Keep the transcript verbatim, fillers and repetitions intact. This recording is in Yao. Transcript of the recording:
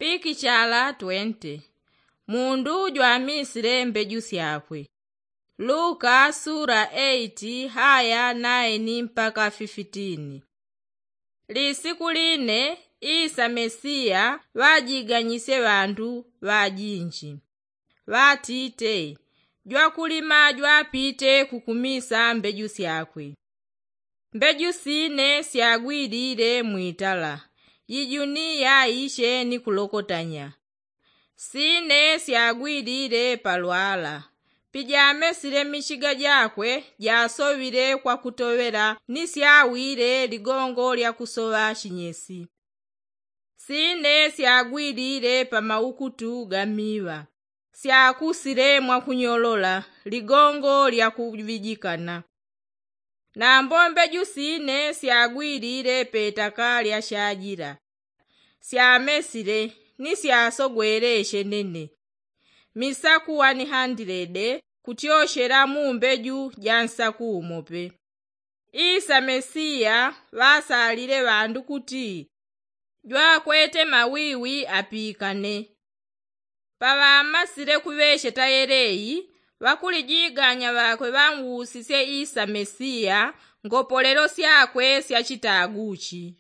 Pikichala twente. Mundu jwamisile mbeju syakwe. Luka sura eiti haya naini mpaka fifitini. Lisiku line isa mesiya ŵajiganyisye ŵandu ŵajinji, ŵatite, jwakulima jwapite kukumisa mbeju syakwe. Mbeju sine syagwilile mwitala, jijuniya ishe ni kulokotanya. Sine syagwilile pa lwala, pijamesile michiga jakwe jasoŵile kwa kutoŵela ni syawile ligongo lya kusoŵa chinyesi. Sine syagwilile pa maukutu ga miŵa, syakusile mwakunyolola ligongo lya kuŵijikana. Nambo mbeju sine syagwilile petaka lya shajila, syamesile ni syasogwele shenene, misaku wani handilede kutyoshela mu mbeju ja nsaku umo pe. Isa mesiya ŵasalile ŵandu kuti jwakwete mawiwi apikane. Paŵamasile kuŵesheta yeleyi, ŵakulijiganya ŵakwe ŵanwusisye isa mesiya ngopolelo syakwe sya chitaguchi.